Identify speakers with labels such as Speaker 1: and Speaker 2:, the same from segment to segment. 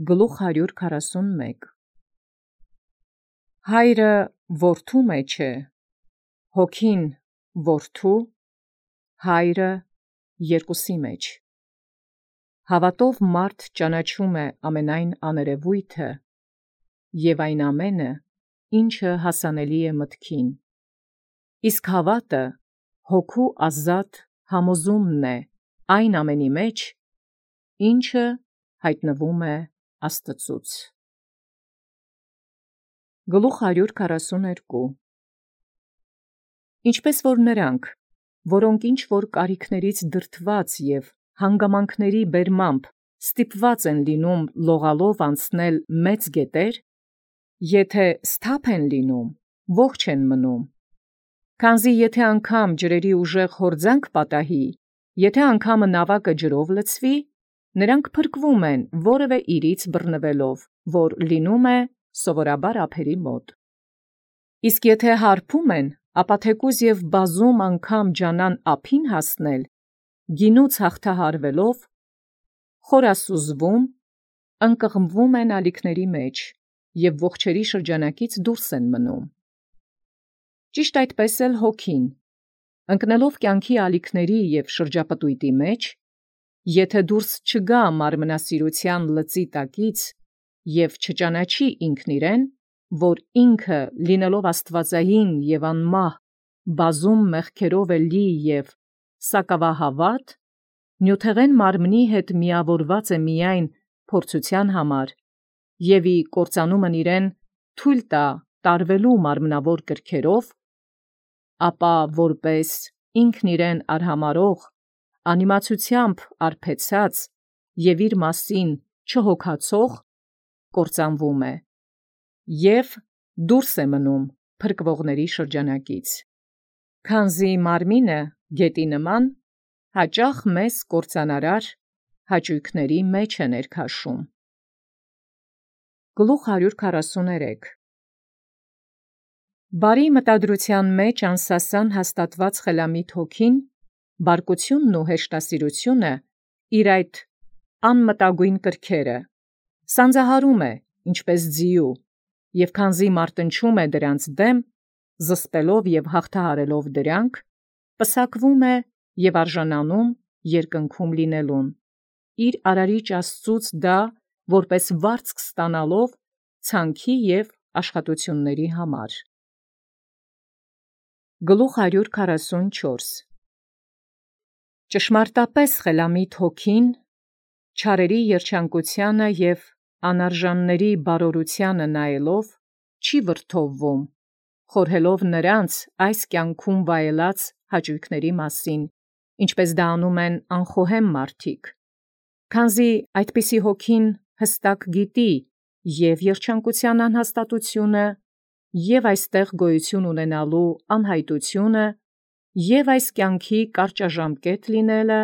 Speaker 1: Գլուխ 141 Հայրը որդու մեջ է, հոգին որդու, հայրը երկուսի մեջ։ Հավատով մարդ ճանաչում է ամենայն աներևույթը և այն ամենը, ինչը հասանելի է մտքին։ Իսկ հավատը հոգու ազատ համոզումն է այն ամենի մեջ, ինչը հայտնվում է Աստծուց։ Գլուխ 142 Ինչպես որ նրանք, որոնք ինչ որ կարիքներից դրդված և հանգամանքների բերմամբ ստիպված են լինում լողալով անցնել մեծ գետեր, եթե սթափ են լինում, ողջ են մնում, քանզի եթե անգամ ջրերի ուժեղ հորձանք պատահի, եթե անգամը նավակը ջրով լցվի, նրանք փրկվում են որևէ իրից բռնվելով, որ լինում է սովորաբար ափերի մոտ։ Իսկ եթե հարբում են, ապա թեկուզ և բազում անգամ ջանան ափին հասնել, գինուց հաղթահարվելով, խորասուզվում, ընկղմվում են ալիքների մեջ և ողջերի շրջանակից դուրս են մնում։ Ճիշտ այդպես էլ հոգին, ընկնելով կյանքի ալիքների և շրջապտույտի մեջ, եթե դուրս չգա մարմնասիրության լծի տակից և չճանաչի ինքն իրեն, որ ինքը լինելով աստվածային և անմահ, բազում մեղքերով է լի և սակավահավատ, նյութեղեն մարմնի հետ միավորված է միայն փորձության համար և ի կործանումն իրեն թույլ տա տարվելու մարմնավոր կրքերով, ապա որպես ինքն իրեն արհամարհող, անիմացությամբ արբեցած և իր մասին չհոգացող, կործանվում է և դուրս է մնում փրկվողների շրջանակից, քանզի մարմինը գետի նման հաճախ մեծ կործանարար հաճույքների մեջ է ներքաշում։ Գլուխ 143 Բարի մտադրության մեջ անսասան հաստատված խելամիտ հոգին, բարկությունն ու հեշտասիրությունը իր այդ անմտագույն կրքերը սանձահարում է, ինչպես ձիու, և քանզի մարտնչում է դրանց դեմ, զսպելով և հաղթահարելով դրանք, պսակվում է և արժանանում երկնքում լինելուն, իր արարիչ Աստծուց դա որպես վարձք ստանալով ցանքի և աշխատությունների համար։ Գլուխ 144 Ճշմարտապես խելամիտ հոգին, չարերի երջանկությանը և անարժանների բարօրությանը նայելով, չի վրդովվում, խորհելով նրանց այս կյանքում վայելած հաճույքների մասին, ինչպես դա անում են անխոհեմ մարդիկ, քանզի այդպիսի հոգին հստակ գիտի և երջանկության անհաստատությունը, և այստեղ գոյություն ունենալու անհայտությունը, և այս կյանքի կարճաժամկետ լինելը,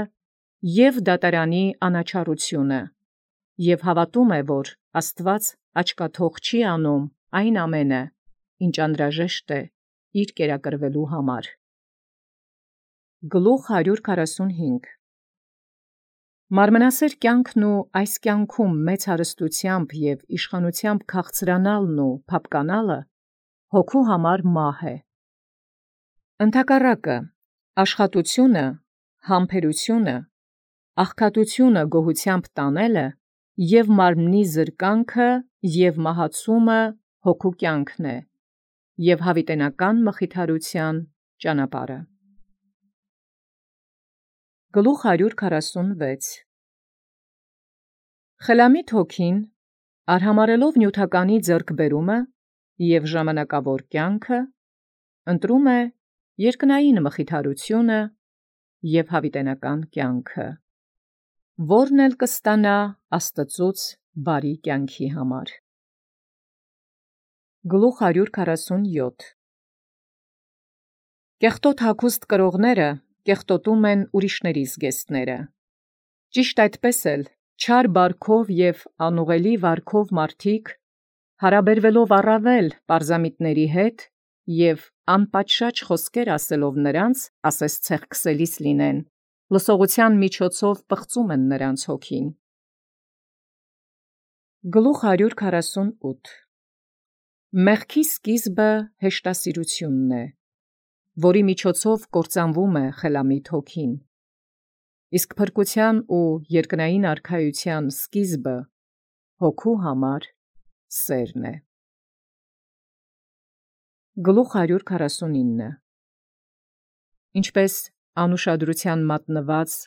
Speaker 1: և դատարանի անաչառությունը, և հավատում է, որ Աստված աչքաթող չի անում այն ամենը, ինչ անհրաժեշտ է իր կերակրվելու համար։ Գլուխ 145 Մարմնասեր կյանքն ու այս կյանքում մեծ հարստությամբ և իշխանությամբ քաղցրանալն ու փափկանալը հոգու համար մահ է։ Ընդհակառակը, աշխատությունը, համբերությունը, աղքատությունը գոհությամբ տանելը և մարմնի զրկանքը և մահացումը հոգու կյանքն է և հավիտենական մխիթարության ճանապարհը։ Գլուխ 146 Խելամիտ հոգին, արհամարհելով նյութականի ձեռքբերումը և ժամանակավոր կյանքը, ընտրում է երկնային մխիթարությունը և հավիտենական կյանքը, որն էլ կստանա Աստծուց բարի կյանքի համար։ Գլուխ 147 Կեղտոտ հագուստ կրողները կեղտոտում են ուրիշների զգեստները։ Ճիշտ այդպես էլ չար բարքով և անուղելի վարքով մարդիկ, հարաբերվելով առավել պարզամիտների հետ և անպատշաճ խոսքեր ասելով նրանց, ասես ցեղքսելիս լինեն, լսողության միջոցով պղծում են նրանց հոգին։ Գլուխ 148 Մեղքի սկիզբը հեշտասիրությունն է, որի միջոցով կործանվում է խելամիտ հոգին, իսկ փրկության ու երկնային արքայության սկիզբը հոգու համար սերն է։ Գլուխ 149 Ինչպես անուշադրության մատնված,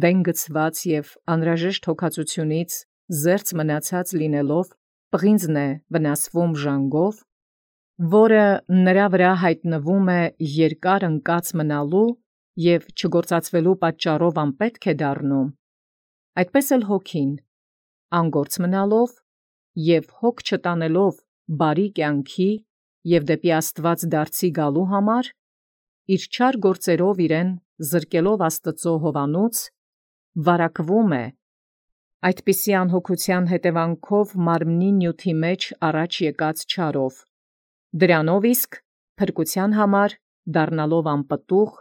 Speaker 1: դեն գցված և անհրաժեշտ հոգացությունից զերծ մնացած լինելով պղինձն է վնասվում ժանգով, որը նրա վրա հայտնվում է երկար ընկած մնալու և չգործածվելու պատճառով անպետք է դառնում, այդպես էլ հոգին, անգործ մնալով և հոգ չտանելով բարի կյանքի և դեպի Աստված դարձի գալու համար, իր չար գործերով իրեն զրկելով Աստծո հովանուց, վարակվում է, այդպիսի անհոգության հետևանքով մարմնի նյութի մեջ առաջ եկած չարով, դրանով իսկ փրկության համար դառնալով անպտուղ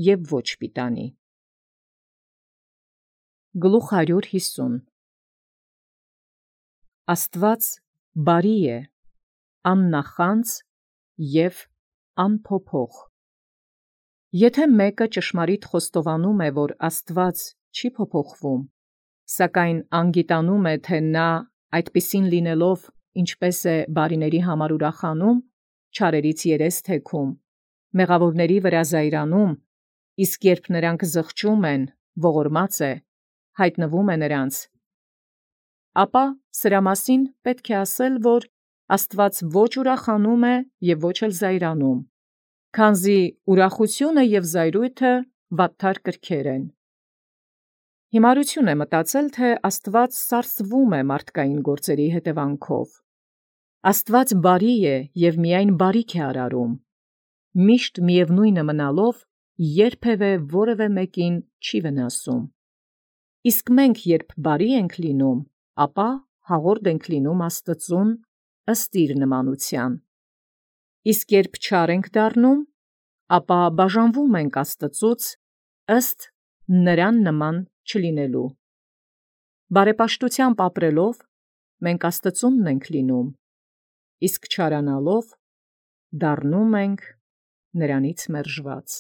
Speaker 1: և ոչ պիտանի։ Գլուխ 150 Աստված բարի է, աննախանձ և անփոփոխ։ Եթե մեկը ճշմարիտ խոստովանում է, որ Աստված չի փոփոխվում, սակայն անգիտանում է, թե նա այդպիսին լինելով ինչպես է բարիների համար ուրախանում, չարերից երես թեքում, մեղավորների վրա զայրանում, իսկ երբ նրանք զղջում են, ողորմած է, հայտնվում է նրանց, ապա սրա մասին պետք է ասել, որ Աստված ոչ ուրախանում է և ոչ էլ զայրանում, քանզի ուրախությունը և զայրույթը վատթար կրքեր են։ Հիմարություն է մտածել, թե Աստված սարսվում է մարդկային գործերի հետևանքով։ Աստված բարի է և միայն բարիք է արարում, միշտ միևնույնը մնալով երբևէ որևէ մեկին չի վնասում։ Իսկ մենք երբ բարի ենք լինում, ապա հաղորդ ենք լինում Աստծուն ըստ իր նմանության, իսկ երբ չար ենք դառնում, ապա բաժանվում ենք Աստծուց ըստ նրան նման չլինելու։ Բարեպաշտությամբ ապրելով մենք Աստծունն ենք լինում, իսկ չարանալով դառնում ենք նրանից մերժված։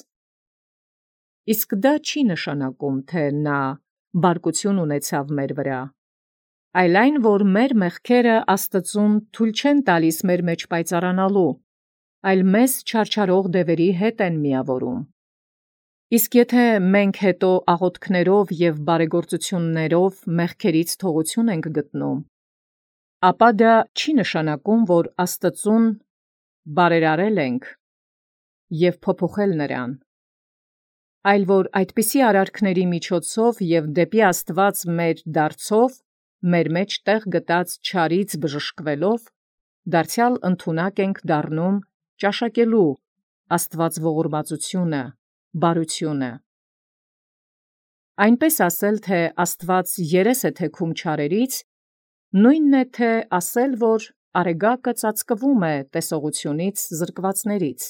Speaker 1: Իսկ դա չի նշանակում, թե նա բարկություն ունեցավ մեր վրա, այլ այն, որ մեր մեղքերը Աստծուն թույլ չեն տալիս մեր մեջ պայծառանալու, այլ մեզ չարչարող դևերի հետ են միավորում։ Իսկ եթե մենք հետո աղոթքներով և բարեգործություններով մեղքերից թողություն ենք գտնում, ապա դա չի նշանակում, որ Աստծուն բարերարել ենք և փոփոխել նրան, այլ որ այդպիսի արարքների միջոցով և դեպի Աստված մեր դարձով, մեր մեջ տեղ գտած չարից բժշկվելով, դարձյալ ընդունակ ենք դառնում ճաշակելու Աստված ողորմածությունը, բարությունը։ Այնպես ասել, թե Աստված երես է թեքում չարերից, նույնն է, թե ասել, որ արեգակը ծածկվում է տեսողությունից զրկվածներից։